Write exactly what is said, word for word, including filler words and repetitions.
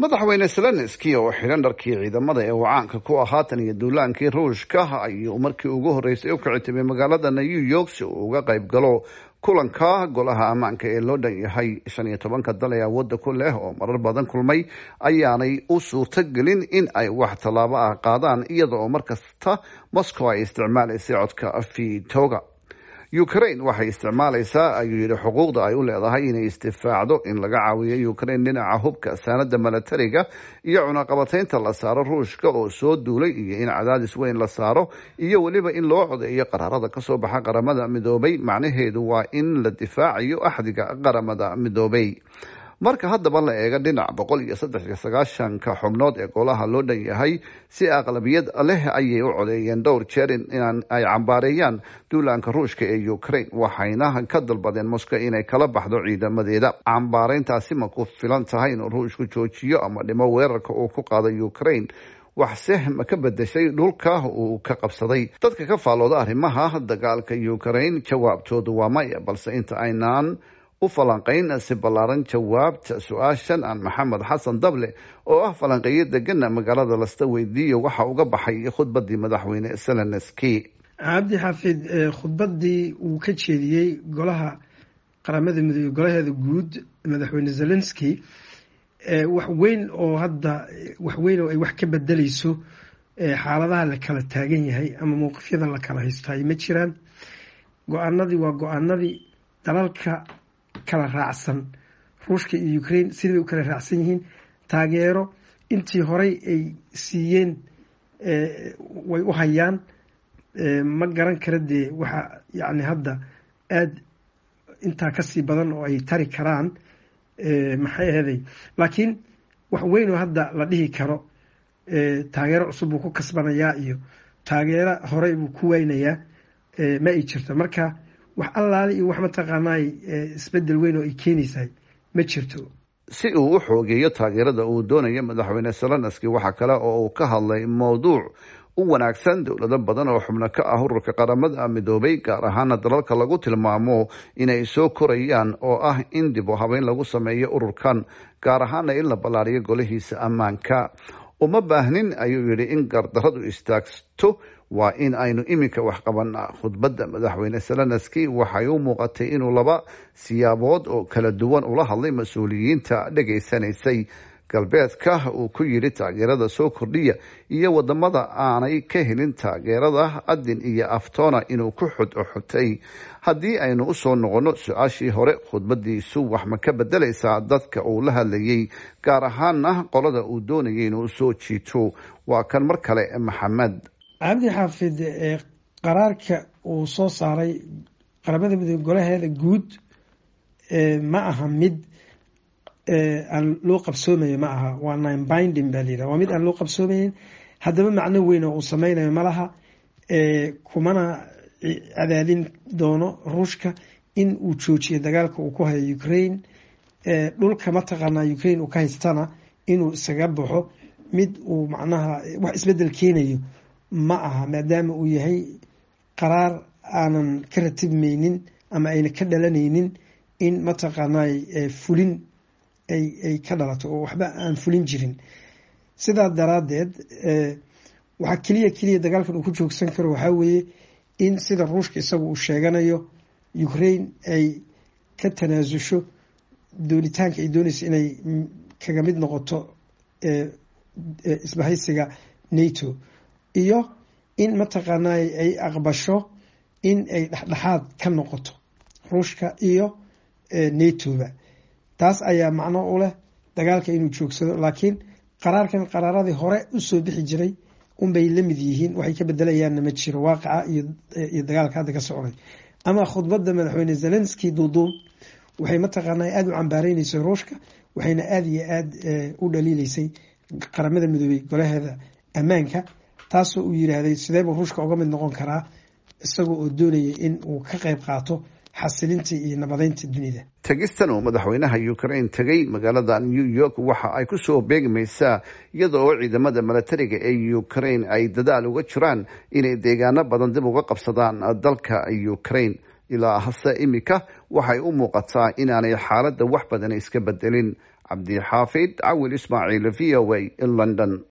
Madaxweyne Zelenski oo xidhan dharkii ciidamada ee uu caanka ku ahaa tan iyo duulaankii Ruushka ayuu markii ugu horreysay u kicitimay magaalada New York si uu uga qayb galo kulanka Golaha Ammaanka ee loo dhan yahay. Shan iyo tobanka dal ee awoodda ku leh oo marar badan kulmay ayaanay u suurtogelin in ay wax tallaabo ah qaadaan, iyada oo markasta Moscow ay isticmaalaysay codka vetoga. Ukraine waxay isticmaalaysaa, ayuu yidhi, xuquuqda ay u leedahay inay isdifaacdo. In laga caawiyo Ukraine dhinaca hubka, saanada milatariga iyo cunaqabataynta la saaro Ruushka oo soo duulay, iyo in cadaadis weyn la saaro, iyo weliba in loo codeeyo qaraarada kasoo baxa Qaramada Midoobay, macnaheedu waa in la difaacayo axdiga Qaramada Midoobay. Marka haddaba la eego dhinac boqol iyo saddex iyo sagaashanka xubnood ee golaha loo dhan yahay, si aqlabiyad leh ayay u codeeyeen dhowr jeer in ay cambaareeyaan duulaanka Ruushka ee Ukraine, waxayna ka dalbadeen Moscow inay kala baxdo ciidamadeeda. Cambaareyntaasi ma ku filan tahay inuu Ruushku joojiyo ama dhimo weerarka uu ku qaado Ukraine? Waxse ma ka bedeshay dhulka uu ka qabsaday? Dadka ka faallooda arrimaha dagaalka Ukraine jawaabtoodu waa maya. Balse inta aynaan u falanqayn si ballaaran jawaabta su-aashan, aan Maxamed Xasan Dable oo ah falanqeeyo degana magaalada Lasta weydiiyo waxa uga baxay khudbadii madaxweyne Zelenski. Cabdi Xaafid, khudbadii uu ka jeediyey golaha Qaramada Midoobey, golaheeda guud, madaxweyne Zelenski, wax weyn oo hadda wax weyn oo ay wax ka bedeleyso xaaladaha la kala taagan yahay ama mowqifyada la kala haysto ay ma jiraan. Go-aanadii waa go-aanadii dalalka kala raacsan Ruushka iyo Ukraine sidii bay u kala raacsan yihiin. Taageero intii horey ay siiyeen way u hayaan. Ma garan kara dee waxa yacni hadda aada intaa kasii badan oo ay tari karaan maxay aheeday, laakiin wax weyn oo hadda la dhihi karo taageero cusub buu ku kasbanayaa iyo taageero horey buu ku waynayaa ma ay jirto. Marka wax allaale iyo wax mataqaanaay isbedel weyn oo ay keenaysahay ma jirto. Si uu u xoogeeyo taageerada uu doonayo madaxweyne Zelenski, waxa kale oo uu ka hadlay mowduuc u wanaagsan dowlado badan oo xubno ka ah ururka Qaramada Midoobay, gaar ahaana dalalka lagu tilmaamo inay soo korayaan, oo ah in dib u habeyn lagu sameeyo ururkan, gaar ahaana in la ballaariyo golihiisa ammaanka. Uma baahnin, ayuu yidhi, in gardaradu istaagto, waa in aynu iminka wax qabanaa. Khudbadda madaxweyne Zelenski waxay u muuqatay inuu laba siyaabood oo kala duwan ula hadlay mas-uuliyiinta dhegaysanaysay: galbeedka uu ku yidhi taageerada soo kordhiya, iyo wadamada aanay ka helin taageerada adin iyo aftona inuu ku xudxutay. Haddii aynu usoo noqono su-aashii hore, khudbadiisu wax ma ka bedelaysaa dadka uu la hadlayay, gaar ahaana qolada uu doonayay inuu soo jiito? Waa kan mar kale Maxamed. Cabdi Xaafid, qaraarka uu soo saaray Qaramada Midoobe golaheeda guud ma aha mid aan loo qabsoomayo, ma aha, waa non binding baa layidhaha, waa mid aan loo qabsoomayn. Haddaba macno weyn oo uu sameynayo malaha, kumana cadaadin doono Ruushka in uu joojiyo dagaalka uu ku hayo Ukraine. Dhulka mataqaanaa Ukraine uu ka haystana inuu isaga baxo mid uu macnaha wax isbedel keenayo ma aha, maadaama uu yahay qaraar aanan ka ratibmaynin ama ayna ka dhalanaynin in mataqaanaa fulin ay ay ka dhalato oo waxba aan fulin jirin. Sidaa daraaddeed waxaa keliya keliya dagaalkan uu ku joogsan karo waxaa weeye in sida Ruushka isagu uu sheeganayo Ukraine ay ka tanaasusho doonitaanka ay doonayso inay kaga mid noqoto isbahaysiga NATO, iyo in mataqaanaa ay aqbasho in ay dhexdhexaad ka noqoto Ruushka iyo NATO-ba. Taas ayaa macno u leh dagaalka inuu joogsado, laakiin qaraarkan qaraaradii hore usoo bixi jiray unbay la mid yihiin, waxay ka bedelayaanna ma jiro waaqaca iyo dagaalka hadda ka socday. Ama khudbadda madaxweyne Zelenski duuduub waxay mataqaanaa aada u cambaareynaysa Ruushka, waxayna aada iyo aada u dhaliileysay Qaramada Midoobey golaheeda ammaanka, taasoo uu yiraahday sideebuu Ruushka uga mid noqon karaa isagoo oo doonaya in uu ka qayb qaato xasilinta iyo nabadeynta dunida. Tegistan uu madaxweynaha Ukraine tegay magaalada New York waxa ay kusoo beegmaysaa iyada oo ciidamada milatariga ee Ukraine ay dadaal uga jiraan inay deegaano badan dib uga qabsadaan dalka Ukraine. Ilaa hase imika waxay u muuqataa inaanay xaaladda wax badan iska bedelin. Cabdixaafid Cawil Ismaaciil, V O A, London.